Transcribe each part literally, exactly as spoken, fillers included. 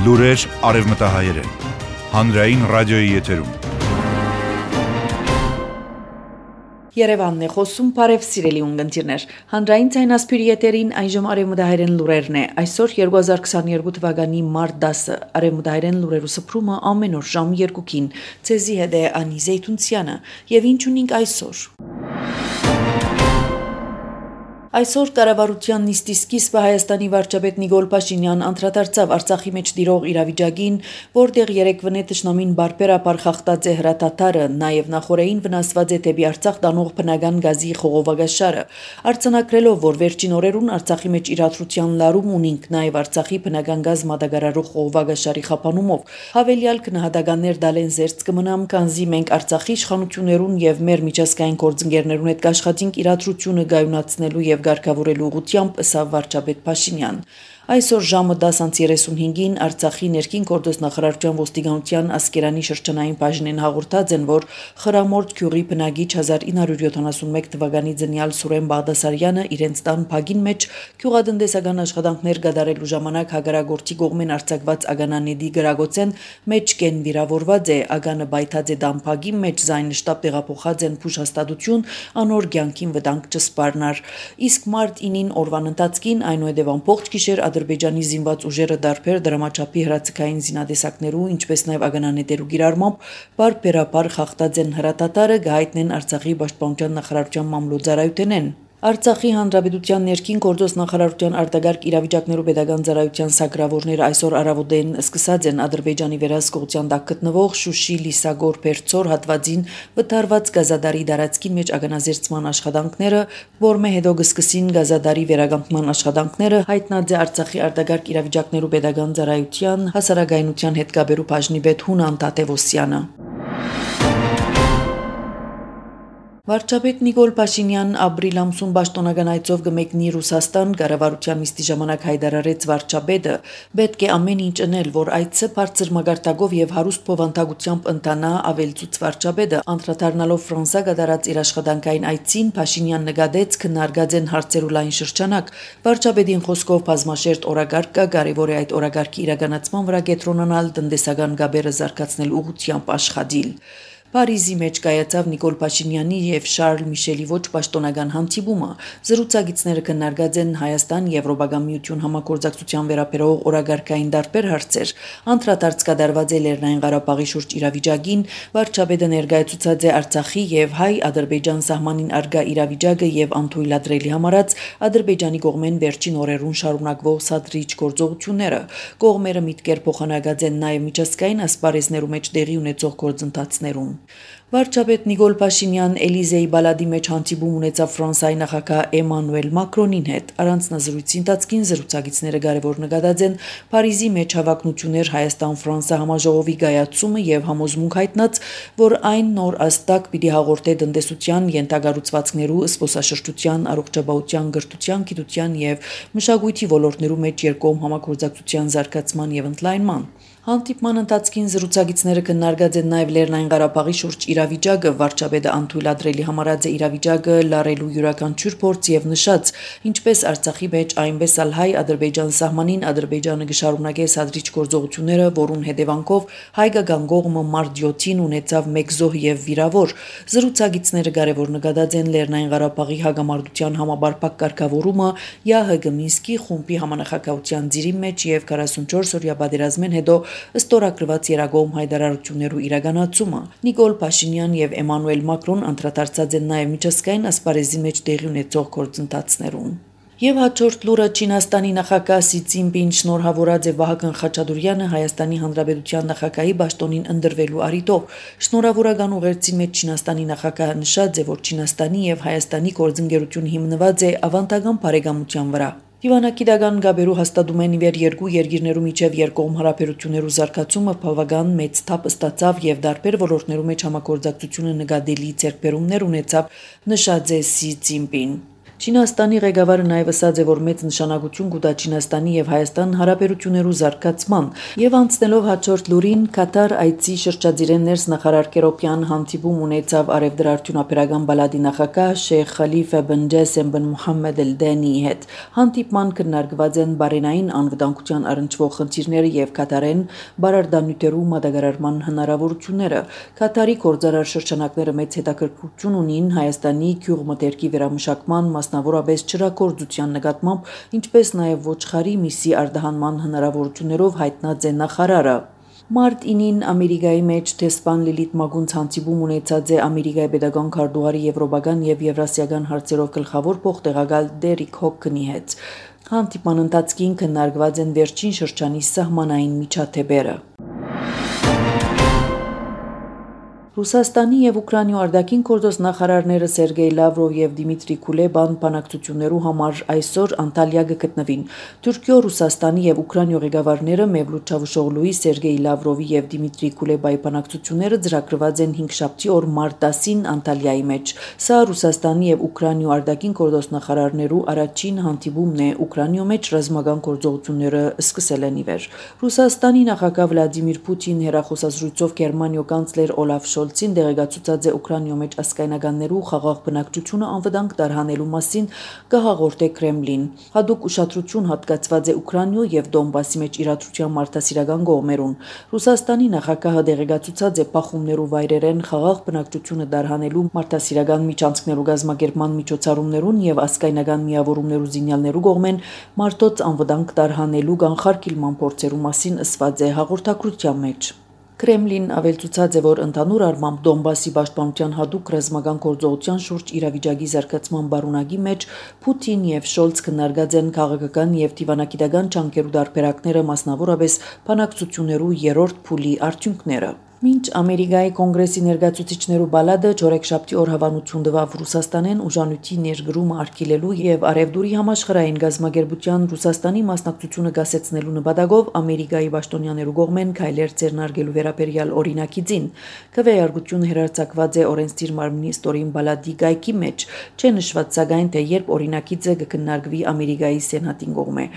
Լուրեր արևմտահայերեն, հանրային ռադիոյի եթերում։ Երևանն է խոսում, բարև սիրելի ունկնդիրներ, հանրային ցայնասպիրի եթերին այժմ արևմտահայերեն լուրերն է, այսօր երկու հազար քսաներկու թվականի մարտ դասը, արևմտահայերեն լուրերու սփռումը ամեն օր ժամը երկուքին, ցեզի հետ է Անի Զեյթունցյանը, եւ ինչ ունենք այսօր։ Այսօր կառավարության նիստի սկիզբը Հայաստանի վարչապետ Նիկոլ Փաշինյան անդրադարձավ Արցախի մեջ տիրող իրավիճակին, որտեղ երեկվնե թշնամին բարբերաբար խախտած է հրատատարը, նաև նախորդին վնասված է դեպի Արցախ տանող բնական գազի խողովակաշարը, արձանագրելով, որ վերջին օրերուն Արցախի մեջ իրադրության լարում ունենք նաև Արցախի բնական գազ մատակարարող խողովակաշարի խափանումով, հավելյալ քննադատականներ դալեն զերծ կմնամ, քանզի մենք Արցախի իշխանություններուն եւ մեր միջազգային գործընկերներուն հետ կաշխատենք իրադրությունը գայունացնելու եւ Գարկավորելու ուղղությամբ ըսավ վարչապետ Փաշինյան։ Այսօր ժամը դասը երեսունհինգին Արցախի ներքին գործոս նախարարության ոստիկանության Ասկերանի շրջանային բաժնեն հաղորդած են, որ Խրամորդ Գյուղի բնակիչ հազար ինը հարյուր յոթանասունմեկ թվականի ծնյալ Սուրեն Բաղդասարյանը իրենց տան փագին մեջ գյուղատնտեսական աշխատանքներ կատարելու ժամանակ հագարագործի կողմեն արձակված ագանանեդի գրագոցեն մեջ կեն վիրավորված է, ագանը բայթած է տան փագի մեջ զայնշտապ տեղափոխած են փուշհաստատություն անոր կյանքին վտանգ չսպառնար։ Իսկ մարտ ինին օրվան ընթացքին այնուհետև ամբողջ գիշեր Ադրբեջանի զինված ուժերը դարբեր դրամաչափի հրացքային զինադեսակներու, ինչպես նաև ագանանետերու գիրառմամբ բարբերաբար խախտած են հրատատարը, գահիտնեն Արցախի պաշտպանության նախարարության մամլոյցարայութենեն։ Արցախի հանրապետության ներքին գործոս նախարարության արտագարկ իրավիճակներու pedagogan ծառայության սակրավորները այսօր առավոտեն սկսած են Ադրբեջանի վերահսկողության տակ գտնվող Շուշի Լիսագոր Պերցոր հատվածին վտարված գազադարի դարածքի մեջ ագանազերծման աշխատանքները, որմե հետո կսկսին գազադարի վերականգնման աշխատանքները, հայտնած է Արցախի արտագարկ իրավիճակներու pedagogan ծառայության հասարակայնության հետ կապերու բաժնի պետ Հունան Տատևոսյանը։ Վարչապետ Նիկոլ Փաշինյան ապրիլ ամսուն պաշտոնական այցով կմեկնի Ռուսաստան, կառավարության նիստի ժամանակ հայտարարեց վարչապետը, պետք է ամեն ինչ անել, որ այցը բարձր մակարդակով եւ հարուստ փոխանցությամբ ընթանա, ավելցուց վարչապետը, անդրադառնալով Ֆրանսա կատարած իր աշխատանքային այցին, Փաշինյան նկատեց քննարկած են հարցերու լայն շրջանակ, վարչապետին խոսքով բազմաշերտ օրագարկ կա, կարևոր է այդ օրագարկի իրականացման վրա կենտրոնանալ, տնտեսական գաբերը զարգացնել ուղղությամբ աշխատել։ Փարիզի մեջ կայացավ Նիկոլ Փաշինյանի եւ Շարլ Միշելի ոչ պաշտոնական հանդիպումը, զրուցակիցները քննարկած են Հայաստան Եվրոպական միություն համագործակցության վերաբերող օրագարկային տարբեր հարցեր, անդրադարձ կատարված է Լեռնային Ղարաբաղի շուրջ իրավիճակին, վարչապետը ներկայացուցած է Արցախի եւ Հայ-Ադրբեջան սահմանին արգա իրավիճակը եւ անթույլատրելի համարած Ադրբեջանի կողմեն վերջին օրերուն շարունակվող սադրիչ գործողությունները, կողմերը միտքեր փոխանակած են նաեւ միջազգային ասպարեզներու մեջ տեղի ունեցող գործընթացներուն։ Վարչապետ Նիկոլ Փաշինյան Էլիզեի բալադի մեջ հանդիպում ունեցավ Ֆրանսիայի նախագահ Էմանուել Մակրոնին հետ։ Առանձնազրույցի ընթացքին զրուցակիցները կարևոր նկատած են Փարիզի մեջ հավակնություններ Հայաստան-Ֆրանսա համաժողովի գայացումը եւ համոզմունք հայտնած, որ այն նոր աստակ պիտի հաղորդե տնտեսության, յենթագառուցվածքներու, զբոսաշրջության, առողջապահության, գրթության, գիտության եւ մշակույթի ոլորտներու մեջ երկկողմ համագործակցության զարգացման եւ ընդլայնման։ Հանդիպման ընթացքին զրուցակիցները քննարկած են նաև Լեռնային Ղարաբաղի շուրջ իրավիճակը, վարչապետը անթույլատրելի համարած է իրավիճակը լարելու յուրաքանչյուր փորձ եւ նշած, ինչպես Արցախի մեջ, այնպես ալ Հայ-Ադրբեջան սահմանին Ադրբեջանը կշարունակե սադրիչ գործողությունները, որուն հետևանքով հայկական կողմը մարտ յոթին ունեցավ մեկ զոհ եւ վիրավոր։ Զրուցակիցները կարևոր նկատած են Լեռնային Ղարաբաղի հագամարտության համաբարփակ կարգավորումը ԵԱՀԿ Մինսկի խումբի համանախագահության ծիրի մեջ եւ քառասունչորս օրյա պատերազմեն հետո ստորագրված երագողմ հայտարարություններու իրականացումը։ Նիկոլ Փաշինյան եւ Էմանուել Մակրոն անդրադարձած են նաեւ միջազգային ասպարեզի մեջ տեղի ունեցող գործընթացներուն։ Եվ հաջորդ լուրը Չինաստանի նախագահ Սի Ցզինպին շնորհավորած է Վահագն Խաչատուրյանը Հայաստանի Հանրապետության նախագահի պաշտոնին ընտրվելու առիթով։ Շնորհավորական ուղերձի մեջ Չինաստանի նախագահը նշած է, որ Չինաստանի եւ Հայաստանի գործընկերությունը հիմնված է ավանդական բարեկամության վրա։ Դիվանագիտական գաբերու հաստատում են իվեր երկու երկիրներու միջև երկկողմ հարաբերություններու զարգացումը բավական մեծ թափ ստացավ եւ դարբեր ոլորտներու մեջ համագործակցությունը նկատելի ձեռքբերումներ ունեցավ, նշած է Սի Ցզինպին։ Չինաստանի ղեկավարը նաև ասաց է, որ մեծ նշանակություն կուտա Չինաստանի եւ Հայաստան հարաբերություններու զարգացման եւ անցնելով հաջորդ լուրին Կատար այցի շրջադիրեն ներս նախարար Կերոպյան հանդիպում ունեցավ արևդրաարդյունաբերական բալադի նախագահ Շեյխ Խալիֆա բն Ջասեմ բն Մուհամմեդ Էլ-Դենիի հետ։ Հանդիպման քննարկված են բարենային անվտանգության առնչվող խնդիրները եւ Կատարեն բարարդանյութերու մատակարարման հնարավորությունները։ Կատարի գործարար շրջանակները մեծ հետաքրքրություն ունին Հայաստանի գյուղմթերքի վերամշակման մասնավորապես ջրագործության նկատմամբ, ինչպես նաև ոչխարի միսի արտահանման հնարավորություններով հայտնած է նախարարը։ Մարտ ինին Ամերիկայի մեջ դեսպան Լիլիթ Մագունց հանդիպում ունեցած է Ամերիկայի պետական քարտուղարի եվրոպական եւ եվրասիական հարցերով գլխավոր փոխտեղակալ Դերիկ Հոքնի հետ։ Հանդիպման ընթացքին քննարկված են վերջին շրջանի սահմանային միջադեպերը։ Ռուսաստանի եւ Ուկրաինայի արտաքին գործոս նախարարները Սերգեյ Լավրով եւ Դիմիտրի Կուլեբան բանակցություններու համար այսօր Անտալիա կգտնվին։ Թուրքիո, Ռուսաստանի եւ Ուկրաինայի ղեկավարները Մևլութ Չավուշօղլուի, Սերգեյ Լավրովի եւ Դիմիտրի Կուլեբայի բանակցությունները ծրագրված են հինգշաբթի օր մարտ տասին Անտալիայի մեջ։ Սա Ռուսաստանի եւ Ուկրաինայի արտաքին գործոս նախարարներու առաջին հանդիպումն է Ուկրաինայի մեջ ռազմական գործողությունները սկսել են ի վեր։ Ռուսաստանի նախագահ Վլադիմիր Պուտին հերախոսազրույցով Գերմանիո կանցլեր Օլաֆ Շոլցին դեղեկացուցած է Ուկրաինայի մեջ ասկայնականներու խաղաղ բնակչությունը անվտանգ տարհանելու մասին կհաղորդե Կրեմլին։ Հատուկ ուշադրություն հատկացված է Ուկրաինայու եւ Դոնբասի մեջ իրադրության մարդասիրական կողմերուն։ Ռուսաստանի նախագահը դեղեկացուցած է փախումներու վայրերեն խաղաղ բնակչությունը տարհանելու մարդասիրական միջանցքներու գազམ་ակերպման միջոցառումներուն եւ ասկայնական միավորումներու զինյալներու կողմեն մարդոց անվտանգ տարհանելու կանխարգելման փորձերու մասին ասված է հաղորդակցության մեջ։ Կրեմլին ավելցուցած է, որ ընդհանուր առմամբ Դոնբասի պաշտպանության հատուկ ռազմական գործողության շուրջ իրավիճակի զարգացման բարունակի մեջ Պուտին եւ Շոլց քննարկած են քաղաքական եւ դիվանագիտական ջանքերու դարբերակները, մասնավորապես բանակցություններու երրորդ փուլի արդյունքները։ Մինչ Ամերիկայի կոնգրեսի ներկայացուցիչներու բալադը չորեքշաբթի օր հավանություն տվավ Ռուսաստանեն ուժանույթի ներգրումը արգելելու եւ Արևդուրի համաշխարհային գազམ་ակերպության Ռուսաստանի մասնակցությունը գասեցնելու նպատակով Ամերիկայի պաշտոնյաներու կողմեն քայլեր ձեռնարկելու վերաբերյալ օրինակիցին։ Քվեարկությունը հերարցակված է օրենսդիր մարմնի ստորին բալադի գայքի մեջ, չէ նշված սակայն թե երբ օրինակիցը կքննարկվի Ամերիկայի սենատին կողմէ։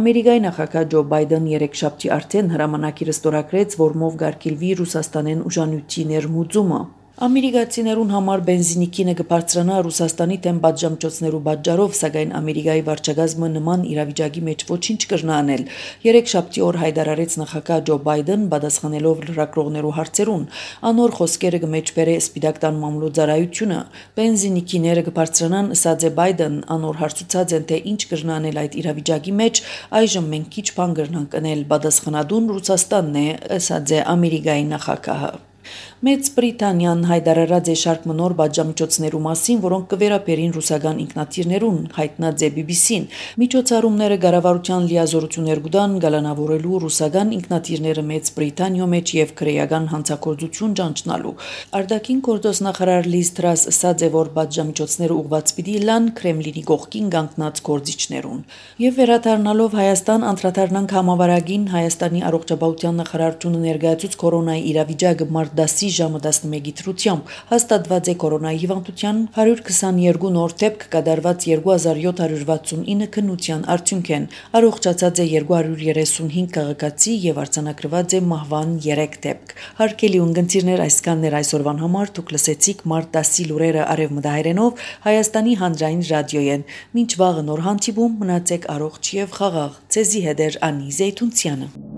Ամերիկայի նախագահ Ջո Բայդեն երեքշաբթի արդեն հրամանագիրը ստորագրեց, որմով կարգելվի Ռուսաստանեն ուժանույթի ներմուծումը։ Ամերիկացիներուն համար բենզինի քինը կբարձրանա Ռուսաստանի դեմ պատժամիջոցներու պատճառով, սակայն Ամերիկայի վարչակազմը նման իրավիճակի մեջ ոչինչ կրնա անել։ Երեքշաբթի օր հայտարարեց նախագահ Ջո Բայդեն, պատասխանելով լրագրողներու հարցերուն։ Անոր խոսքերը կմեջբերե Սպիտակ տան մամլոյցարայությունը։ Բենզինի քիները կբարձրանան, ասաց է Բայդեն, անոր հարցուցած են, թե ինչ կրնա անել այդ իրավիճակի մեջ, այժմ մենք քիչ բան կրնանք անել, պատասխանատուն Ռուսաստանն է, ասաց է Ամերիկայի նախագահը։ Մեծ Բրիտանիան հայտարարած է շարք մնոր պատժամիջոցներու մասին, որոնք կվերապերին ռուսական ինքնաթիռներուն, հայտնած է բի բի սին։ Միջոցառումները կառավարության լիազորություններ կտան գալանավորելու ռուսական ինքնաթիռները Մեծ Բրիտանիո մեջ եւ քրեական հանցագործություն ճանչնալու։ Արտաքին գործոս նախարար Լիզ Տրաս ասաց է, որ պատժամիջոցները ուղղված պիտի լան Կրեմլինի կողքին կանգնած գործիչներուն։ Եվ վերադառնալով Հայաստան անդրադառնանք համավարակին Հայաստանի առողջապահության նախարարությունը ներկայացուց կորոնայի իրավիճակը մարտ տասի ժամը տասնմեկի դրությամբ հաստատված է կորոնայի հիվանդության հարյուր քսաներկու նոր դեպք կատարված երկու հազար յոթ հարյուր վաթսունինը քննության արդյունք են։ Առողջացած է երկու հարյուր երեսունհինգ քաղաքացի եւ արձանագրված է մահվան երեք դեպք։ Հարգելի ունկնդիրներ, այսքանն էր այսօրվան համար, դուք լսեցիք մարտ տասի լուրերը արևմտահայերենով Հայաստանի հանրային ռադիոյեն։ Մինչ վաղը նոր հանդիպում, մնացեք առողջ եւ խաղաղ։ Ձեզի հետ էր Անի Զեյթունցյանը։